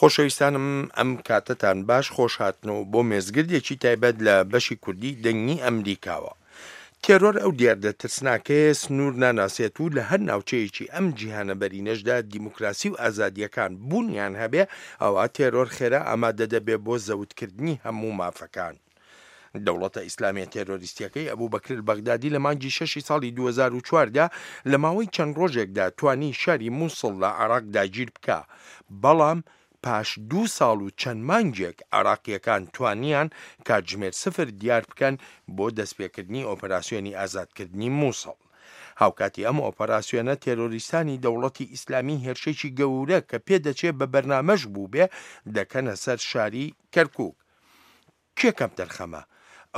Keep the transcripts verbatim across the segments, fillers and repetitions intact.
خۆشەویستانم ئەم کاتەتان باش، خۆشهاتنەوە بۆ مێزگردێکی تایبەت لە بەشی کوردی دەنگی ئەمریکاوە. تێرۆر ئەو دیاردە ترسناکەیە سنوور ناناسێت و لە هەر ناوچەیەکی ئەم جیهانە بەرینەشدا دیموکراسی و ئازادییەکان بوونیان هەبێ، ئەوا تێرۆر خێرا ئامادە دەبێ بۆ زەوتکردنی هەموو مافەکان. دەوڵەتە ئیسلامیە تێرۆریستیەکەی ئەبوبەکر بەغدادی لە مانگی شەشی ساڵی دوو هەزار و چواردە لە ماوەی چەند ڕۆژێکدا توانی شاری موسڵ لە عێراق داگیر بکا، بەڵام پاش دوو ساڵ و چەند مانگێک عێراقیەکان توانیان کاتژمێر سفر دیار بکەن بۆ دەستپێکردنی ئۆپەراسیۆنی ئازادکردنی موسڵ. هاوکاتی ئەم ئۆپەراسیۆنە تێرۆریستانی دەوڵەتی ئیسلامی هێرشێکی گەورە کە پێدەچێ بە بەرنامەش بووبێ دەکەنە سەر شاری کەرکوک. کێ کەمتەرخەمە؟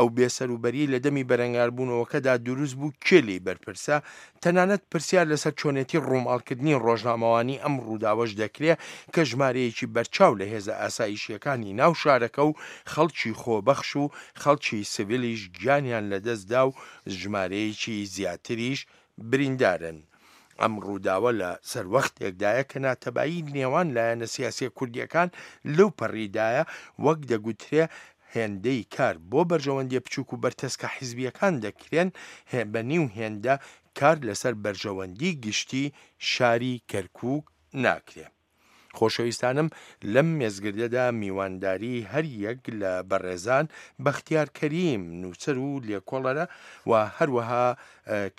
ئەو بێسەروبەریەی لە دەمی بەرەنگاربوونەوەکەدا دروست بوو کێ لێی بەرپرسە؟ تەنانەت پرسیار لەسەر چۆنێتی ڕووماڵکردنی ڕۆژنامەوانی ئەم ڕووداوەش دەکرێ کە ژمارەیەکی بەرچاو لە هێزە ئاسایشییەکانی ناو شارەکە و خەڵکی خۆبەخش و خەڵکی سڤیلیش گیانیان لەدەستدا و ژمارەیەکی زیاتریش بریندارن. ئەم ڕووداوە لە سەروەختێکدایە کە ناتەبایی نێوان لایەنە سیاسییە کوردییەکان لەو پەڕیدایە، وەک دەگوترێ هێندەی کار بۆ بەرژەوەندیە بچوک و بەرتەسکە حیزبیەکان دەکرێن بە نیو هێندە کار لەسەر بەرژەوەندی گشتی شاری کەرکوک ناکرێ. خۆشەویستانم لەم مێزگردەدا میوانداری هەر یەک لە بەڕێزان بەختیار کەریم نووسەر و لێکۆڵەرە و هەروەها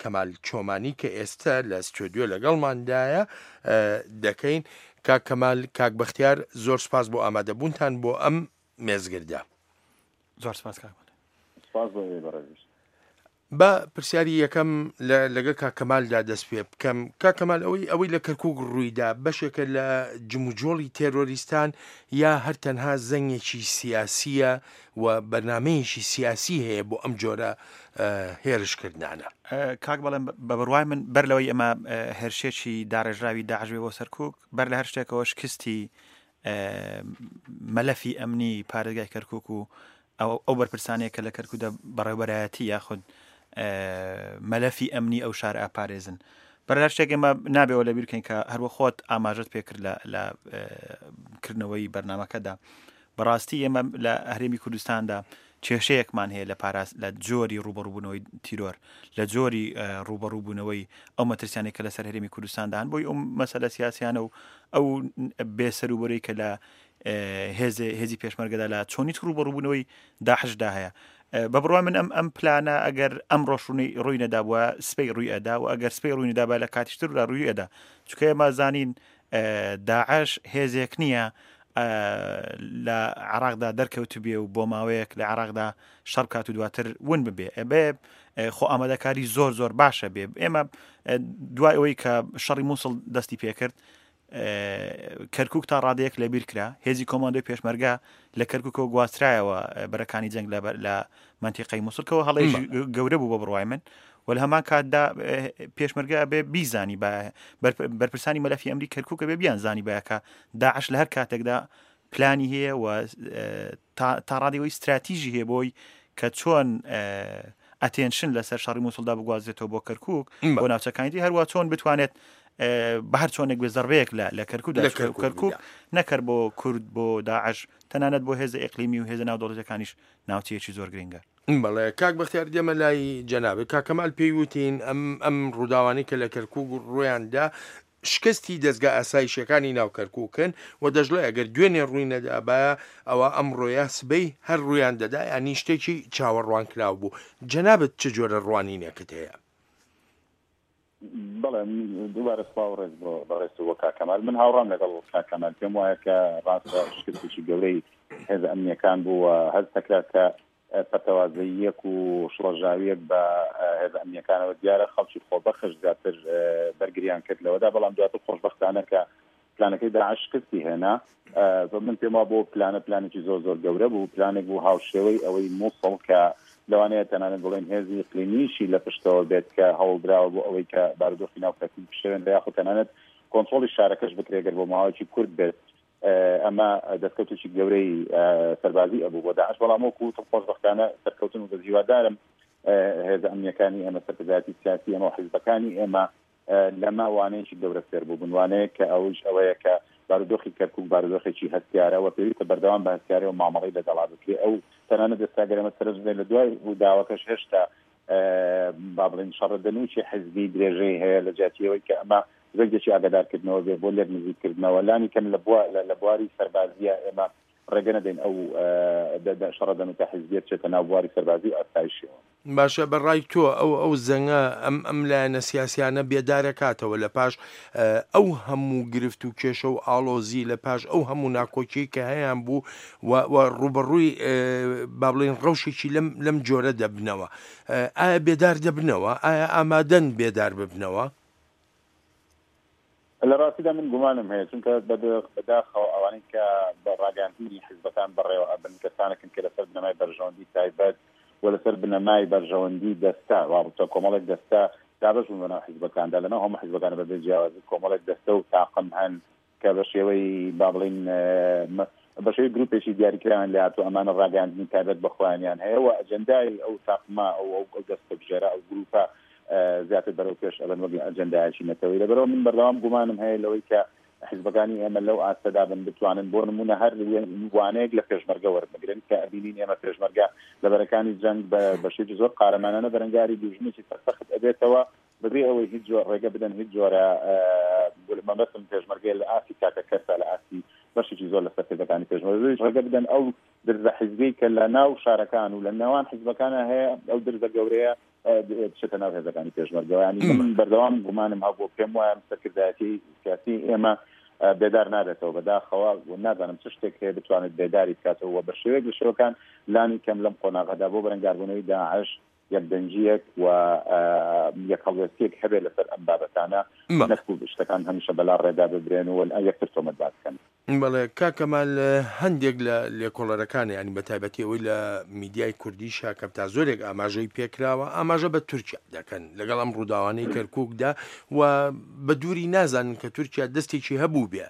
کەمال چۆمانی کە ئێستا لە ستۆدیۆ لەگەڵماندایە دەکەین. کاک کەمال، کاک بەختیار، زۆر سپاس بۆ ئامادەبوونتان بۆ ئەم مێزگردە. زۆر سپاس کاک. سپاس بۆ ئێوەی بەڕێزیش. با پرسیاری یەکەم لەگەڵ کاک کەمالدا دەست پێ بکەم. کاک کەمال، ئەوەی ئەوەی لە کەرکوک ڕوویدا بەشێکە لە جموجۆڵی تێرۆریستان یا هەر تەنها زەنگێکی سیاسیە و بەرنامەیەکی سیاسی هەیە بۆ ئەم جۆرە هێرشکردنانە؟ کاک بەڵێم، بە بڕوای من بەر لەوەی ئەمە هێرشێکی داڕێژراوی داعش بێ بۆ سەرکوک، بەر لە هەر شتێکەوە شکستی مەلەفی ئەمنی پارێزگای کەرکوک و ئەو بەرپرسانەیە کە لە کەرکوکدا بەڕێوەبەرایەتی یاخود مەلەفی ئەمنی ئەو شار ئاپارێزن. بەر لە شتێک ئێمە نابێەوە لەبیر بکەین کە هەروە خۆت ئاماژەت پێکرد لە کردنەوەی بەرنامەکەدا. بەڕاستی ئێمە لە هەرێمی کوردستاندا کێشەیەکمان هەیە لە پاراست لە جۆری ڕوبەڕووبوونەوەی تیرۆر، لە جۆری ڕوبەڕووبوونەوەی ئەو مەترسیانەی کە لەسەر هەرێمی کوردستاندا هەن، بۆی ئەو مەسەلە سیاسیانە و ئەو بێسەروبەرەی کە لە هێزی پێشمەرگەدا لە چۆنیت ڕوبەڕووبوونەوەی داعشدا هەیە. بە بڕوای من ئەم ئەم پلانە ئەگەر ئەم ڕۆژ ڕووی نەدابووە سبەی ڕووی ئەدا و ئەگەر سبەی ڕووی نەدابا لە کاتیشتردا ڕووی ئەدا، چونکە ئێمە زانین داعش هێزێک نییە لە عراقدا دەرکەوت بێ و بۆ ماوەیەک لە عراقدا شەڕ بکات و دواتر ون ببێ. ئەبێ خۆ ئامادەکاری زۆر زۆر باشە بێ. ئێمە دوای ئەوەی کە شەڕی مووسڵ دەستی پێکرد، کەرکوک تا ڕادەیەک لەبیر کرا، هێزی کۆماندۆی پێشمەرگە لە کەرکوکەوە گواسترایەوە بەرەکانی جەنگ لە منتیقەی مووسڵکەوە، هەڵەیەکی گەورە بوو بە بڕوای من. و لە هەمان کاتدا پێشمەرگە بێ بیزانی بە بەرپرسانی مەلەفی ئەمری کەرکوکە بێ بیان زانی بە کە داعش لە هەر کاتێکدا پلانی هەیە و تا ڕادەیەوەی استراتیژی هەیە بۆی کە چۆن ئەتێنشن لەسەر شەڕی مووسڵدا بگوازێتەوە بۆ کەرکوک بۆ ناوچەکانی دی، هەروە چۆن بتوانێت بە هەر چۆنێک بێ زەربەیەک لە کەرکوکدا لە کەرکوک کەرکوک نەکرد بۆ کورد، بۆ داعش، تەنانەت بۆ هێزە ئیقلیمی و هێزە ناودەوڵەتەکانیش ناوچەیەکی زۆر گرنگە. بەڵێ کاک بەختیار، دێمە لای جەنابێ. کاک کەمال پێی وتین ئەم ئەم ڕووداوانەی کە لە کەرکوک ڕوویاندا شکستی دەستگا ئاسایشەکانی ناو کەرکوکن و دەژڵێ ئەگەر دوێنێ ڕووی نەدابایە ئەوە ئەمڕۆیە سبەی هەر ڕوویان دەدا، ینی شتێکی چاوەڕوانکراو بوو. جەنابت چ جۆرە ڕوانینێکت هەیە؟ بەڵێ، دووبارە سڵاو ڕێز بۆ بەڕێز و کاک کەمال. من هاوڕام لەگەڵ کاک کەمال، پێم وایە کە ڕاستە شکستێکی گەورەی هێزە ئەمنیەکان بوو و هەست دەکرا کە پەتەوازەیەک و شڵەژاویەک بە هێزە ئەمنیەکانەوە دیارە. خەڵکی خۆبەخش زیاتر بەرگریان کرد لەوەدا، بەڵام دواتر خۆشبەختانە کە پلانەکەی داعش شکستی هێنا. من پێم وا بۆ پلانە پلانێکی زۆر زۆر گەورە بوو، پلانێک بوو هاوشێوەی ئەوەی مووسڵ کە لەوانەیە تەنانەت بڵێن هێزی ئیقلیمیشی لە پشتەوە بێت کە هەوڵدراوە بۆ ئەوەی کە بارودۆخی ناو کەرکوک بشێوێنرێ یاخود تەنانەت کۆنترۆڵی شارەکەش بکرێت گەر بۆ ماوەیەکی کورت بێت. ئەمە دەستکەوتێکی گەورەی سەربازی ئەبوو بۆ داعش، بەڵام وەکو وتم خۆشبەختانە سەرکەوتن و بەس هیوادارم هێزە ئەمنیەکانی ئێمە، سەرکردایەتی سیاسی ئێمە و حیزبەکانی ئێمە لەمە وانەیەکی گەورە فێر بوو بن، وانەیە کە ئەوش ئەوەیە کە بارودۆخی کەرکوک بارودۆخێکی هەستیارە و پێویستە بەردەوام بە هەستیارە و مامەڵەی لەگەڵا بکرێ. ئەو تەنانەت ئێستا گەرمە سەرنج بدەین لە دوای ڕووداوەکەش هێشتا با بڵێین شەڕەدەنووکی حیزبی درێژەی هەیە لە جیاتی ئەوەی کە ئەمە زەنگێکی ئاگادارکردنەوە بێ بۆ لێک نزیککردنەوە، لانی کەم لە بواری سەربازیە ئێمە ڕێگە نەدەین ئەو شەڕەدەنووکە حیزبیە بچێتە ناو بواری سەربازی و ئاسایشیەوە. باشە، بەڕای تۆ ئەو ئەو زەنگە ئەم ئەم لایەنە سیاسیانە بێدارەکاتەوە لە پاش ئەو هەموو گرفت و کێشە و ئاڵۆزی، لە پاش ئەو هەموو ناکۆکی کە هەیان بوو و ڕوبەڕووی با بڵێن ڕەوشێکی لەم لەم جۆرە دەبنەوە، ئایا بێدار دەبنەوە؟ ئایا ئامادەن بێدار ببنەوە؟ لە ڕاستیدا من گومانم هەیە، چونکە بەداخەوە ئەوانەی کە بە ڕاگەیاندنی حیزبەکان بەڕێوە ئەبن کەسانێکن کە لەسەر بنەمای بەرژەوەندی تایبەت و لەسەر بنەمای بەرژەوەندی دەستە وابتە کۆمەڵێک دەستە دابەش بوون بەناو حیزبەکاندا، لەناو هەموو حیزبەکانە بەبێ جیاوازی کۆمەڵێک دەستە و تاقم هەن کە بە شێوەی با بڵێین بە شێوەی گروپێکی دیاریکراویان لێ هاتوو، ئەمانە ڕاگەیاندنی تایبەت بە خۆیانیان هەیە و ئەجەندای ئەو تاقمە ئەو ئەو دەستەبژێرە ئەو گروپە زیاتر بەرەو پێش ئەبن وەک ئەجەندایەکی نەتەوەیی. لەبەرەوە من بەردەوام گومانم هەیە لەوەی کە حیزبەکانی ئێمە لەو ئاستەدا بن بتوانن بۆ نمونە هەر وانەیەک لە پێشمەرگە وەربگرن کە ئەبینین ئێمە پێشمەرگە لە بەرەکانی جەنگ بە شێوەیەکی زۆر قارەمانانە بەرەنگاری دوژمنێکی سەرسەخت ئەبێتەوە بەبێ ئەوەی هیچ جۆر ڕێگە بدەن هیچ جۆرە مەبەستم پێشمەرگەیە لە ئاستی تاکە کەسە لە ئاستی بەشێکی زۆر لە سەرکردەکانی پێشمەرگە ڕێگە بدەن ئەو درزە حیزبی کە لە ناو شارەکان و لە نێوان حیزبەکانە هەیە ئەو درزە گەورەیە بچێتە ناو هێزەکانی پێشمەرگەوە. ینی من بەردەوام گومانم هەبوو، پێم وایە سەرکردایەتی سیاسی ئێمە بێدار نابێتەوە بەداخەوە و نازانم چ شتێک هەیە بتوانێت بێداری بکاتەوە و بە شێوەیەک لە شێوەکان لانی کەم لەم قۆناغەدا بۆ بەرەنگاربوونەوەی داعش یەکدەنگییەک و یەک هەڵوێستیەک هەبێت لەسەر ئەم بابەتانە، نەکو شتەکان هەمیشە بەلا ڕێدا ببرێن و یەکتر تۆمەتبار بکەن. بەڵێ کاک کەمال، هەندێک لە لێکۆڵەرەکان، ینی بە تایبەتی ئەوەی لە میدیای کوردی شاکەم تا زۆرێک ئاماژەی پێکراوە، ئاماژە بە تورکیا دەکەن لەگەڵ ئەم ڕووداوانەی کەرکووکدا و بە دووری نازانن کە تورکیا دەستێکی هەبوو بێ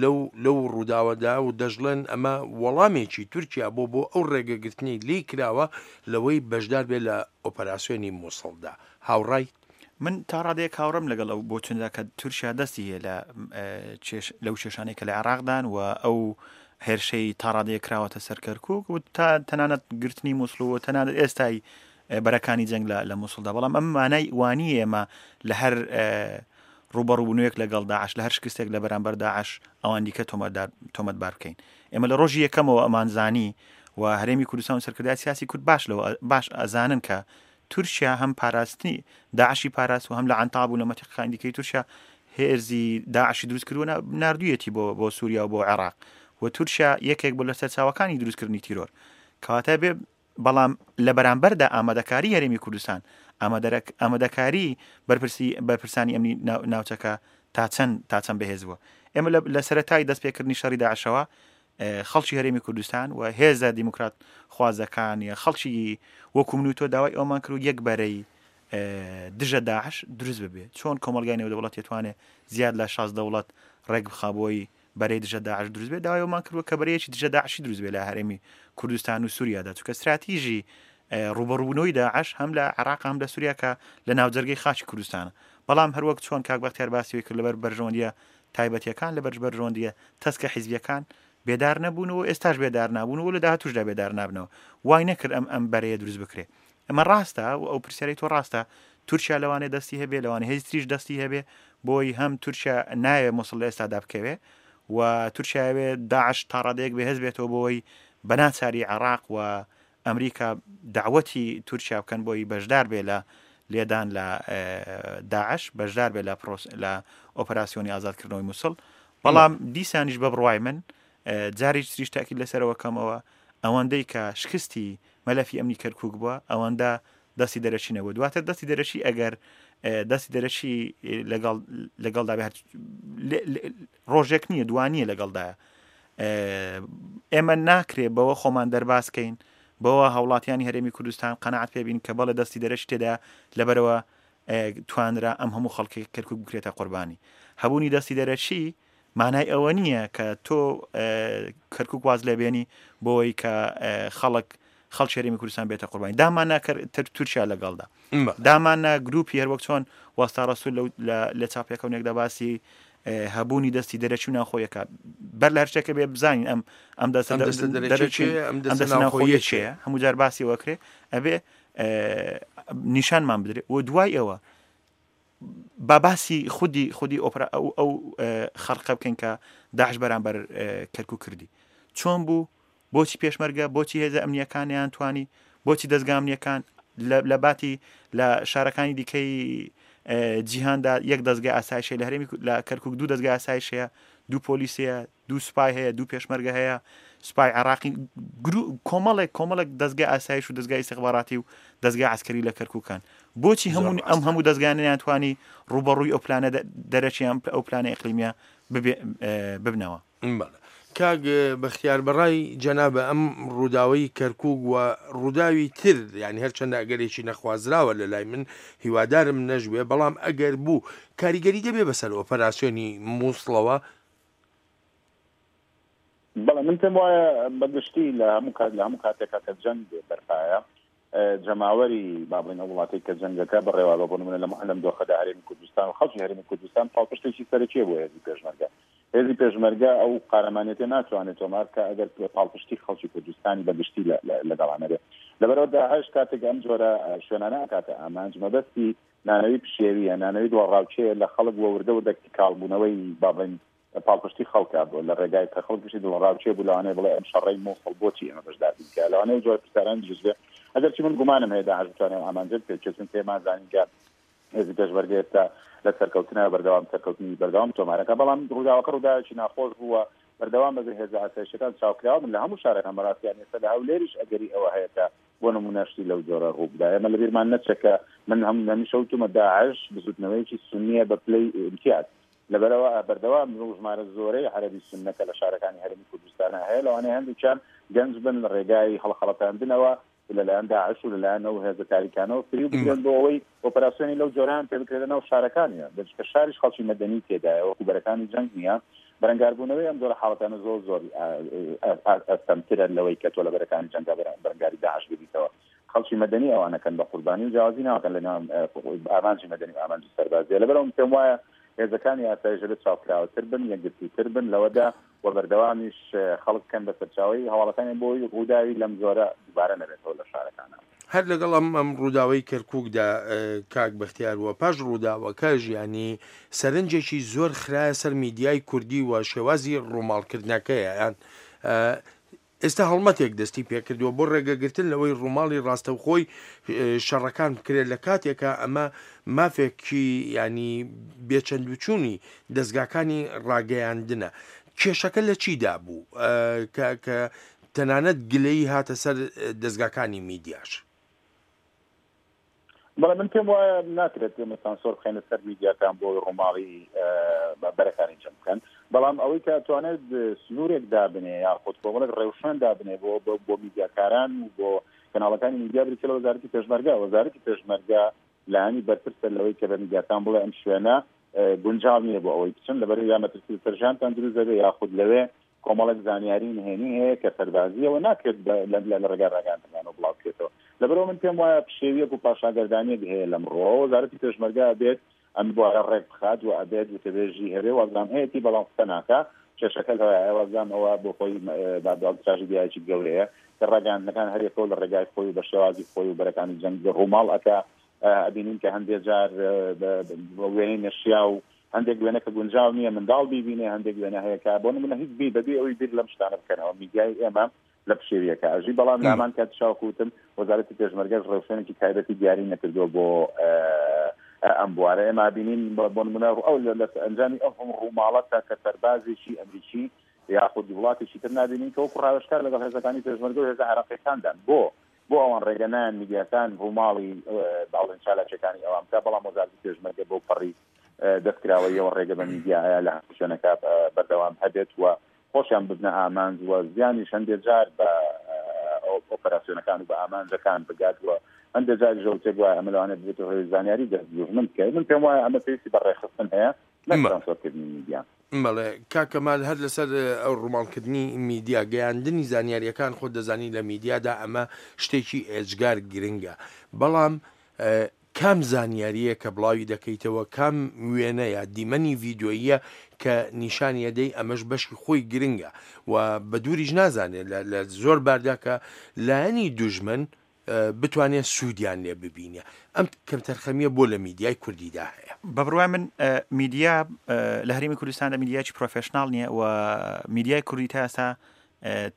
لەو لەو ڕووداوەدا و دەژڵێن ئەمە وەڵامێکی تورکیا بۆ بۆ ئەو ڕێگەگرتنەی لێی کراوە لەوەی بەشدار بێ لە ئۆپەراسیۆنی مووسڵدا. هاوڕای؟ من تا ڕادەیەک هاوڕێم لەگەڵ ئەو بۆچوندا کە تورکیا دەستی هەیە لە لەو کێشانەی کە لە عێراقدان و ئەو هێرشەی تا ڕادەیەک کراوەتە سەر کەرکووک و تا تەنانەت گرتنی مووسڵ و تەنانەت ئێستای بەرەکانی جەنگ لە مووسڵدا. بەڵام ئەم مانای وانی ئێمە لە هەر ڕوبەڕووبوونەوەیەک لەگەڵ داعش، لە هەر شکستێک لە بەرامبەر داعش ئەوان دیکە تۆمەتبار بکەین. ئێمە لە ڕۆژی یەکەمەوە ئەمانزانی و هەرێمی کوردستان و سەرکردایەتی سیاسی کورد باش لەوە باش ئەزانن کە تورکیا هەم پاراستنی داعشی پاراست و هەم لە عەنتاب و لە مەتیقەکانی دیکەی تورکیا هێزی داعشی دروست کردووە ناردوویەتی بۆ بۆ سووریا و بۆ عێراق و تورکیا یەکێک بوو لە سەرچاوەکانی دروستکردنی تیرۆر. کەواتە بێ بەڵام لە بەرامبەردا ئامادەکاری هەرێمی کوردستان، ئامادەکاری بەرپرسی بەرپرسانی ئەمنی ناوچەکە تا چەند تا چەند بەهێز بووە. ئێمە لە سەرەتای دەستپێکردنی شەڕی داعشەوە خەڵکی هەرێمی کوردستان و هێزە دیموکرات خوازەکان یا خەڵکی وەکو من و تۆ داوای ئەومان کرد و یەک بەرەی دژە داعش دروست ببێ. چۆن کۆمەڵگای نێودەوڵەتی توانێت زیاد لە شاست دەوڵەت ڕێک بخا بۆی بەرەی دژە داعش دروست بێ، داوای ئەومان کردووە کە بەرەیەکی دژە داعشی دروست بێ لە هەرێمی کوردستان و سووریادا، چونکە استراتیژی ڕوبەڕووبوونەوەی داعش هەم لە عێراق هەم لە سووریا کە لە ناوجەرگەی خاکی کوردستانە. بەڵام هەروەک چۆن کاک بەختیار باسی کرد لەبەر بەرژەوەندیە تایبەتیەکان، لەبەر بەرژەوەندیە تەسکە حیزبیەکان بێدار نەبوون و ئێستاش بێدار نابوون و لە داهاتوشدا بێدار نابنەوە. وای نەکرد ئەم ئەم بەرەیە دروست بکرێ. ئەمە ڕاستە و ئەو پرسیارەی تۆ ڕاستە، تورکیا لەوانەیە دەستی هەبێ، لەوانەیە هێزی تریش دەستی هەبێ، بۆی هەم تورکیا ناوێ موسڵ لە ئێستادا بکەوێ و تورکیاوێ داعش تا ڕادەیەک بەهێز بێتەوە بۆی بەناچاری عێراق و ئەمریکا داوەتی تورکیا بکەن بۆی بەشدار بێ لە لێدان لە داعش، بەشدار بێ لە لە ئۆپەراسیۆنی ئازادکردنەوەی موسڵ. بەڵام دیسانیش بە بڕوای من جارێکی تریش تاکید لەسەرەوە کەمەوە، ئەوەندەی کە شکستی مەلەفی ئەمنی کەرکووک بووە ئەوەندە دەستی دەرەکی نەبوو. دواتر دەستی دەرەکی ئەگەر دەستی دەرەکی لەگەڵ لەگەڵدا بێ ڕۆژێک نییە دوانیە لەگەڵدایە. ئێمە ناکرێ بەوە خۆمان دەربازکەین، بەوە هاوڵاتیانی هەرێمی کوردستان قەناعەت پێبین کە بەڵێ دەستی دەرەکی تێدا لەبەرەوە توانرا ئەم هەموو خەڵکی کەرکووک بکرێتە قوربانی. هەبوونی دەستی دەرەکی مانای ئەوە نییە کە تۆ کەرکووک واز لێبێنی بۆی کە خەڵک خەڵکی هەرێمی کوردستان بێتە قوربانی. دامانە تورکیا لەگەڵدا، دامانە گروپی هەروەک چۆن وەستا ڕەسوول لە چاپێکەونێکدا باسی هەبوونی دەستی دەرەکی و ناوخۆیەکە. بەر لە هەر شتێکە بێ بزانین ئەم ئەم دەستە دەرەکی ئەم دەستە ناوخۆیە چییە، هەموو جار باسی وەکرێ ئەبێ نیشانمان بدرێ. و دوای ئەوە با باسی خودی خودی ئۆپرا ئەو ئەو خەرقە بکەین کە داعش بەرامبەر کەرکوک کردی. چۆن بوو؟ بۆچی پێشمەرگە؟ بۆچی هێزە ئەمنیەکانیان توانی؟ بۆچی دەزگا ئەمنیەکان لە باتی لە شارەکانی دیکەی جیهاندا یەک دەزگای ئاسایشەیە، لە هەرێمی لە کەرکوک دوو دەزگای ئاسایش هەیە، دوو پۆلیس هەیە، دوو سوپای هەیە، دوو پێشمەرگە هەیە، سوپای عێراقی، کۆمەڵێک کۆمەڵێک دەزگای ئاسایش و دەزگای ئیستیخباراتی و دەزگای عەسکەری لە کەرکوکان. بۆچی هەموو ئەم هەموو دەزگانیان توانی ڕوبەڕووی ئەو پلانە دەرەکی ئەم ئەو پلانە ئیقلیمیە ببنەوە؟ بەڵێ کاک بەختیار، بەڕای جەنابە ئەم ڕووداوی کەرکوک و ڕووداوی تر، یعنی هەرچەندە ئەگەرێکی نەخوازراوە لە لای من، هیوادارم نەژبێ، بەڵام ئەگەر بوو کاریگەری دەبێ بەسەر ئۆپەراسیۆنی مووسڵەوە؟ بەڵێ من پێم وایە بەگشتی لە هەموو کات لە هەموو کاتێکا کە جەنگ بەرپایە جەماوەری با بڵێین ئەو وڵاتەی کە جەنگەکە بەڕێوە بە، بۆ نمونە لەم دۆخەدا هەرێمی کوردستان و خەڵکی هەرێمی کوردستان پاڵپشتێکی سەرەکیە بۆ هێزی پێشمەرگە. هێزی پێشمەرگە ئەو قارەمانێتە ناتوانێت تۆمار کە ئەگەر پاڵپشتی خەڵکی کوردستانی بەگشتی لەگەڵانە بێت. لەبەرەوە داعش کاتێک ئەم جۆرە شوێنانە ئەکاتە ئامانج، مەبەستی نانەوی پشێویە، نانەوی دڵەڕاوکێ لە خەڵک وە وردە وردە کاڵبوونەوەی با بڵێین پاڵپشتی خەڵکە بۆ لە ڕێگای کە خەڵک پشتی دڵەڕاوکێ بوو، لەوانەیە بڵێ ئەم شەڕەی مووسڵ بۆچی ئێمە بەشدار بین کە لەوانەیە جۆرە پرسیاران دروست بێ. ئەگەرچی من گومانم هەیە داعش بتوانێت ئەو ئامانجە بپێکێت، چونکە ئێمە زانین کە هێزی پێشمەرگە ئێستا لە سەرکەوتنە بەردەوام سەرکەوتنی بەردەوام تۆمارەکە، بەڵام ڕووداوەکە ڕووداوێکی ناخۆش بووە. بەردەوام بەبێ هێزە ئاسایشەکان چاوکراوە من لە هەموو شارەکان بەڕاستیان ئێستا لە هەولێریش ئەگەری ئەوە هەیە کە بۆ نمونە شتی لەو جۆرە ڕوو بدا. ئێمە لەبیرمان نەچێت کە من هەم هەمیشە وتومە داعش بزوتنەوەیەکی سونیە بە پلەی ئیمتیاز، لەبەرەوە بەردەوام ژمارە زۆرەی عەرەبی سوننە کە لە شارەکانی هەرێمی کوردستانە هەیە، لەوانەیە هەندێکیان گەنج بن لە ڕێگای هەڵخەڵەتاندنەوە لەلایەن داعش و لەلایەن ئەو هێزە تاریکانەوە فریو بگرن بۆ ئەوەی ئۆپەراسیۆنی لەو جۆران پێ بکرێت لەناو شارەکانیان، دەچکە شاریش خەڵکی مەدەنی تێدایە، وەکو بەرەکانی جەنگ نییە. بەرەنگاربوونەوەی ئەم جۆرە حاڵەتانە زۆر زۆر ئەستەمترە لەوەی کە تۆ لە بەرەکانی جەنگا بەرەنگاری داعش ببیتەوە. خەڵکی مەدەنی ئەوانەکەن بە قوربانی و جیاوازی ناکەن لە ناو ئامانجی مەدەنی و ئامانجی سەربازیە. لەبەرئەوە پێم وایە هێزەکانی ئاسایش دەبێت چاوکراوەتر بن، یەکگرتووتر بن لەوەدا و بەردەوامیش خەڵک بکەن بە سەرچاوەی هەواڵەکانیان بۆ ڕووداوی لەم جۆرە دووبارە نەبێتەوە لە شارەکانە. هەر لەگەڵ ئەم ئەم ڕووداوەی کەرکووکدا کاک بەختیار وە پاش ڕووداوەکە ژیانی سەرنجێکی زۆر خرایە سەر میدیای کوردی و شێوازی ڕووماڵکردنەکەیە. یان ئێستا هەڵمەتێک دەستی پێکردووە بۆ ڕێگەگرتن لەوەی ڕووماڵی ڕاستەوخۆی شەڕەکان بکرێت، لە کاتێکە ئەمە مافێکی ینی بێچەندوچوونی دەستگاکانی ڕاگەیاندنە. کێشەکە لە چیدا بوو کە تەنانەت گلەیی هاتە سەر دەستگاکانی میدیاش؟ بەڵێ من پێم وایە ناکرێت ئێمە سانسۆر بخەینە سەر میدیاکان بۆ ڕووماڵی بەرەکانی جەنگ بکەن، بەڵام ئەوەی کە توانێت سنوورێک دابنێ یاخود کۆمەڵێک ڕێوشوێن دابنێ بۆ بۆ میدیاکاران و بۆ کەناڵەکانی میدیا بریتیە لە وەزارەتی پێشمەرگە. وەزارەتی پێشمەرگە لایەنی بەرپرسە لەوەی کە بە میدیاکان بڵێ ئەم شوێنە گونجاو نییە بۆ ئەوەی بچن، لەبەر یا مەترسی لەسەر ژیانتان دروست دەبێ یاخود لەوێ کۆمەڵێک زانیاری نهێنی هەیە کە سەربازیەوە ناکرێت لە ڕێگای ڕاگەیاندنەوە بڵاو بکرێتەوە. لەبەرەوە من پێم وایە پشێویەک و پاشاگەردانیەک هەیە لەم ڕۆوە. وەزارەتی پێشمەرگە ئەبێت ئەم بوارە ڕێک بخات و ئەبێت وتەبێژی هەبێ، وازام هەیەتی بەڵام قسە ناکا. کێشەکە لەوەیە وازام ئەوە بۆ خۆی تراژیدیایەکی گەورەیە کە ڕاگەیاندنەکان هەریەکەوە لە ڕێگای خۆی و بە شێوازی خۆی و بەرەکانی جەنگ ڕووماڵ ئەکا. ئەبینین کە هەندێک جار وێنەی نەشیا و هەندێک وێنە کە گونجاو نییە منداڵ بیبینێ، هەندێک وێنە هەیە کە بۆ نمونە هیچ بی بەبێ ئەوەی بیر لەم شتانە بکەنەوە. میدیای ئێمە لە پشێویەکە ئەژی، بەڵام لامان کات چاوکوتم وەزارەتی پێشمەرگەش ڕێوشوێنێکی تایبەتی دیاری نەکردووە بۆ ئەم بوارە. ئێمە بینین بۆ نمونە ئەو لە ئەنجامی ئەو هەم ڕووماڵەتە کە سەربازێکی ئەمریکی یاخود وڵاتێکی تر نابینین کە وەکو ڕاوێژکار لەگەڵ هێزەکانی پێشمەرگە و هێزە عێراقیەکاندان. بۆ بۆ ئەوان ڕێگە نایەن میدیاکان ڕووماڵی باڵێن چالاکیەکانی ئەوان بکە، بەڵام وەزارەتی پێشمەرگە بۆ پەڕی دەستکراوەیەوە ڕێگە بە میدیا لە هەموو شوێنەکە بەردەوام هەبێت و خۆشیان ببنە ئامانج و زیانیش هەندێک جار بە ئۆپەراسیۆنەکان و بە ئامانجەکان بگات و هەندێک جاریش ئەوتێک وایە ئەمە لەوانەیە ببێتە هۆی زانیاری دەست دوژمن بکەوێت. من پێم وایە ئەمە پێویستی بە ڕێکخستن هەیە نەک سانسۆرکردنی میدیا. بەڵێ کاک کەمال، هەر لەسەر ئەو ڕووماڵکردنی میدیا، گەیاندنی زانیاریەکان خۆت دەزانی لە میدیادا ئەمە شتێکی ئێجگار گرنگە، بەڵام کام زانیارییە کە بڵاوی دەکەیتەوە، کام وێنە یا دیمەنی ڤیدیۆییە کە نیشانی ئەدەی، ئەمەش بەشی خۆی گرنگە و بە دووریش نازانێت لە زۆر باردا کە لایەنی دوژمن بتوانێت سوودیان لێ ببینێ. ئەم کەمتەرخەمیە بۆ لە میدیای کوردیدا هەیە؟ بە بڕوای من میدیا لە هەرێمی کوردستاندا میدیایکی professional نییە و میدیای کوردی تا ئێستا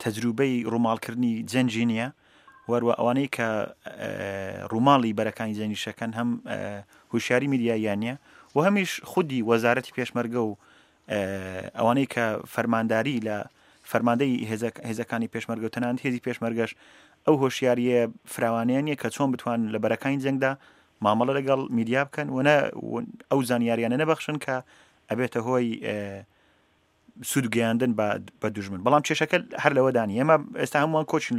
تەجروبەی ڕووماڵکردنی جەنگی نییە، وەروە ئەوانەی کە ڕووماڵی بەرەکانی جەنگیشەکەن هەم هوشیاری میدیاییان نییە و هەمیش خودی وەزارەتی پێشمەرگە و ئەوانەی کە فەرمانداری لە فەرماندەی هێزەکانی پێشمەرگە و تەنانەت هێزی پێشمەرگەش ئەو هۆشیاریە فراوانەیە نییە کە چۆن بتوانن لە بەرەکانی جەنگدا مامەڵە لەگەڵ میدیا بکەن و ئەو زانیاریانە نەبەخشن کە ئەبێتە هۆی سوود گەیاندن بە دوژمن. بەڵام کێشەکە هەر لەوەدا نییە. ئێمە ئێستا هەمووان کۆچین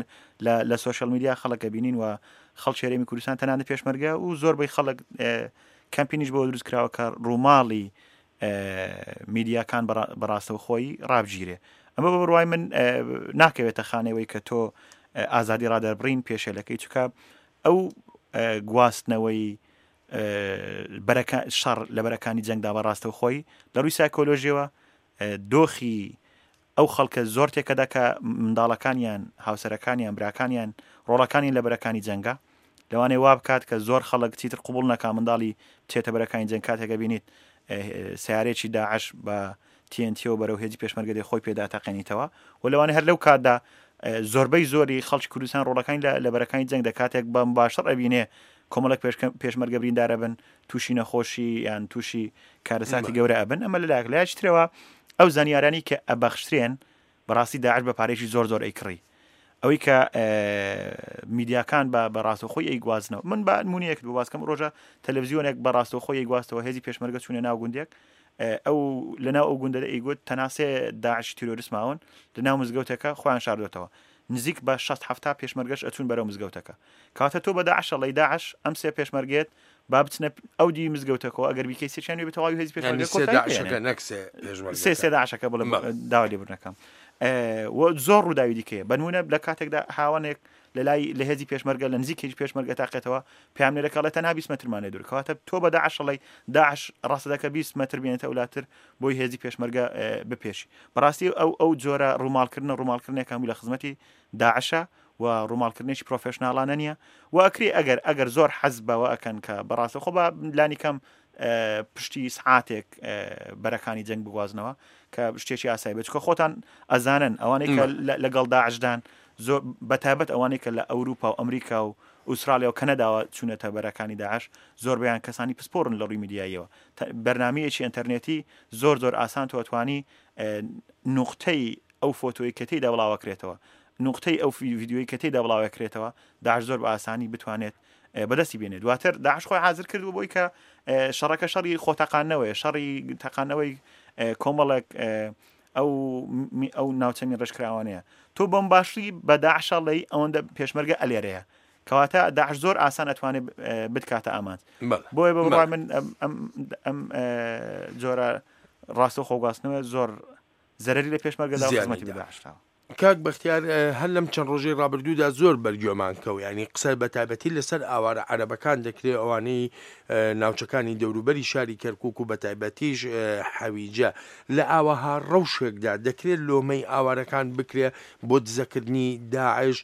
لە social media خەڵک ئەبینین و خەڵکی هەرێمی کوردستان تەنانەت پێشمەرگە و زۆربەی خەڵک کەمپینیش بۆ دروست کراوە کە ڕووماڵی میدیاکان بەڕاستەوخۆی ڕابگیرێ. ئەمە بە بڕوای من ناکەوێتە خانەوەی کە تۆ ئازادی ڕادەربڕین پێشێلەکەی، چونکە ئەو گواستنەوەی شەڕ لە بەرەکانی جەنگدا بەڕاستەوخۆی لە ڕووی سایکۆلۆژیەوە دۆخی ئەو خەڵکە زۆر تێکەدا کە منداڵەکانیان، هاوسەرەکانیان، براکانیان، ڕۆڵەکانیان لە بەرەکانی جەنگە. لەوانەیە وا بکات کە زۆر خەڵک چیتر قوبڵ نەکا منداڵی بچێتە بەرەکانی جەنگ. کاتێکە بینیت سیارێکی داعش بە تی ئێن تیەوە بەرەو هێزی پێشمەرگە دێ خۆی پێدا تەقێنیتەوە و لەوانەیە هەر لەو کاتدا زۆربەی زۆری خەڵکی کوردستان ڕۆڵەکانی لە بەرەکانی جەنگ دەکاتێک بەم باشتر ئەبینێ کۆمەڵێک پێشمەرگە بریندارە بن، تووشی نەخۆشی یان تووشی کارەساتی گەورە ئەبن. ئەمە لەلایەک. لایەکی ترەوە ئەو زانیارانی کە ئەبەخشترێن بەڕاستی داعش بە پارێکی زۆر زۆر ئەیکڕی. ئەوەی کە میدیاکان بە بەڕاستەوخۆی ئەیگوازنەوە، من بە نمونەیەکت بۆ باسکەم، ڕۆژە تەلەڤزیۆنێک بە ڕاستەوخۆی ئەیگواستەوە هێزی پێشمەرگە چوونە ناو گوندێک، ئەو لەناو ئەو گوندە ئەیگوت تەنها سێ داعش تیرۆریست ماون لەناو مزگەوتەکە خۆیان شاردۆتەوە، نزیک بە شەست حەفتا پێشمەرگەش ئەچوون بەرەو مزگەوتەکە. کاتە تۆ بە داعش ئەڵێی داعش ئەم سێ پێشمەرگێت با بچنە ئەو دی مزگەوتەکەەوە، ئەگەر بیکەی سێچیان وێ بتەواوی هێزی پێشمەرگە کۆتایی پێ نەک سێ پێشمەرگە، سێ سێ داعشەکە بڵێ داوا لێبوردنەکەم. و زۆر ڕووداوی دیکەیە. بەنمونە لە کاتێکدا هاوانێک لە لای لە هێزی پێشمەرگە لە نزیک هێزی پێشمەرگە تاقێتەوە، پامنێرەکە ئەڵێ تەنها بیست مەترمان لێ دوور. کەواتە تۆ بە داعش ئەڵێی داعش ڕاستە دەکە بیست مەتر بێنێتە ئەولاتر بۆی هێزی پێشمەرگە بپێشی. بەڕاستی ئەو ئەو جۆرە ڕووماڵکردنە ڕووماڵکردنێک هەموو لە خزمەتی داعشە و ڕووماڵکردنێکی پرۆفێشناڵانە نییە و ئەکری ئەگەر ئەگەر زۆر حەز بەوە ئەکەن کە بەڕاستە خۆ بە لانی کەم پشتی سعاتێک بەرەکانی جەنگ بگوازنەوە کە شتێکی ئاسایی بێت، چونکە خۆتان ئەزانن ئەوانەی کە لەگەڵ داعشدان زۆر بەتایبەت ئەوانەی کە لە ئەوروپا و ئەمریکا و ئوسترالیا و کەنەداوە چوونەتە بەرەکانی داعش زۆربەیان کەسانی پسپۆڕن لە ڕووی میدیاییەوە. بەرنمەیەکی ئینتەرنێتی زۆر زۆر ئاسان تۆ ئەتوانی نوقتەی ئەو فۆتۆی کە تێیدا بڵاوەکرێتەوە، نوقتەی ئەو ڤیدیۆی کە تێیدا بڵاوەکرێتەوە داعش زۆر بە ئاسانی بتوانێت بەدەستی بێنێت. دواتر داعش خۆی حاضر کردو بۆی کە شەڕەکە شەڕی خۆتەقاندنەوەیە، شەڕی تەقاندنەوەی کۆمەڵێک ئەو ئەو ناوچە ڕێژکراوانەیە. تۆ بەم باشی بە داعش ئەڵێی ئەوەندە پێشمەرگە ئەلێرەیە، کەواتە داعش زۆر ئاسان ئەتوانێت بتکاتە ئامانج. بۆیە بە بڕوای من ئەم ئەم جۆرە ڕاستەوخۆ خۆگواستنەوە زۆر زەرەری لە پێشمەرگەدا و خزمەتی بە داعشداوە. کاک بەختیار، هەر لەم چەند ڕۆژەی ڕابردوودا زۆر بەرگوێمان کەو، ینی قسە بە تایبەتی لەسەر ئاوارە عەرەبەکان دەکرێت، ئەوانەی ناوچەکانی دەوروبەری شاری کەرکوک و بە تایبەتیش حەویجە. لە ئاوەها ڕەوشێکدا دەکرێت لۆمەی ئاوارەکان بکرێت بۆ دزەکردنی داعش؟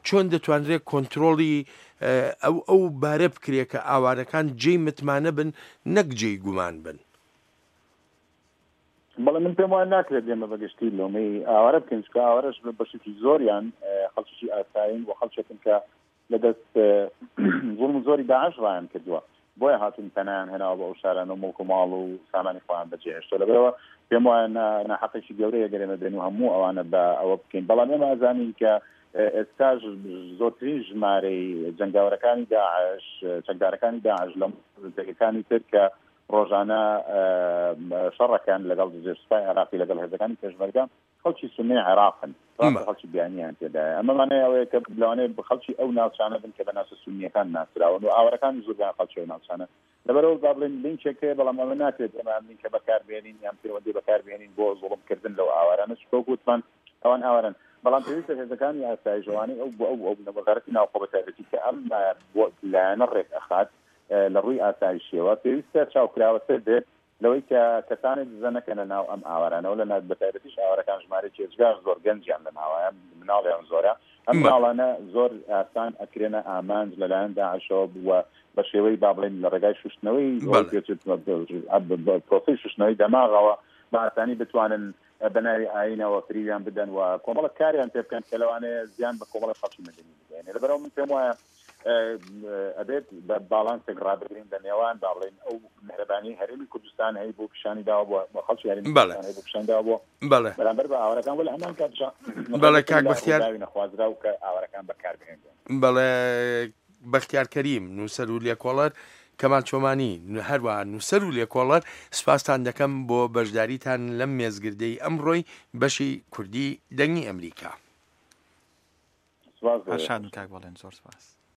چۆن دەتوانرێت کۆنترۆڵی ئەو ئەو بارە بکرێت کە ئاوارەکان جێی متمانە بن نەک جێی گومان بن؟ بەڵێ من پێم وایە ناکرێت ئێمە بەگشتی لۆمەی ئاوارە بکەین، چونکە ئاوارەش بەشێکی زۆریان خەڵکێکی ئاسایین و خەڵکێکن کە لەدەست زوڵم و زۆری داعش ڕایان کردووە، بۆیە هاتوون پەنایان هێناوە بە ئەو شارانە و مڵک و ماڵ و سامانی خۆیان بەجێهێشتووە. لەبەرەوە پێم وایە ناحەقێکی گەورەیە گەر ئێمە بێن و هەموو ئەوانە بە ئەوە بکەین. بەڵام ئێمە ئەزانین کە ئێستاش زۆرترین ژمارەی جەنگاوەرەکانی داعش، چەکدارەکانی داعش لە پێگەکانی تر کە ڕۆژانە شەڕەکان لەگەڵ سوپای عێراقی لەگەڵ هێزەکانی پێشمەرگە خەڵکی سوننەی عێراقن، خەڵکی بیانیان تێدایە. ئەمە مانای ئەوەیە کە لەوانەیە خەڵکی ئەو ناوچانە بن کە بە ناوچە سوننیەکان ناسراون و ئاوارەکانی زۆربیان خەڵکی ئەو ناوچانە. لەبەرەوە با بڵێن لینکێک هەیە، بەڵام ئەمە ناکرێت ئێمە ئەم لینکە بەکاربێنین یان پەیوەندی بەکاربێنین بۆ زوڵمکردن لەو ئاوارانە، چونکە وەکو وتمان ئەوان ئاوارن. بەڵام پێویستە هێزەکانی ئاسایش ئەوانەی ئەو ئەو ئەو وەزارەتی ناوخۆ بە تایبەتی کە ئەم لایەنە ڕێک ئەخات لە ڕووی ئاسایشیەوە پێویستە چاوکراوەتر بێت لەوەی کە کەسانێک دزە نەکەنە ناو ئەم ئاوارانەوە لە ناو بەتایبەتیش ئاوارەکان ژمارەیەکی ئێجگار زۆر گەنجیان لە ناوایە مناڵیان زۆرە ئەم مناڵانە زۆر ئاسان ئەکرێنە ئامانج لەلایەن داعشەوە بووە بە شێوەی با بڵێین لە ڕێگای شوشتنەوەی پرۆسەی شوشتنەوەی دەماغەوە بە ئاسانی بتوانن بە ناوی ئایینەوە فریویان بدەن و کۆمەڵک کاریان پێ بکەن کە لەوانەیە زیان بە کۆمەڵک خەڵکی مەدەنی بگەیەنێ لەبەرئەوە من پێم وایە ئەبێت بە باڵانسێک ڕابگرین لە نێوان با بڵێین ئەو مهرەبانی هەرێمی کوردستان هەی بۆ پیشانی داوە بۆ خەڵکی هەرێمی کوردستان هەی بۆ پیشان داوە بۆ بەرامبەر بە ئاوارەکان وە لە هەمان کاتیشا بەڵێ کاک بەختیار نەخوازراو کە ئاوارەکان بەکاربهێنرێن. بەڵێ بەختیار کەریم نووسەر و لێکۆڵەر، کەمال چۆمانی هەروەها نووسەر و لێکۆڵەر، سپاستان دەکەم بۆ بەشداریتان لەم مێزگردەی ئەمڕۆی بەشی کوردی دەنگی ئەمریکا. سپاس بۆ هەر شاد بن کاک بەڵێن، زۆر سپاس.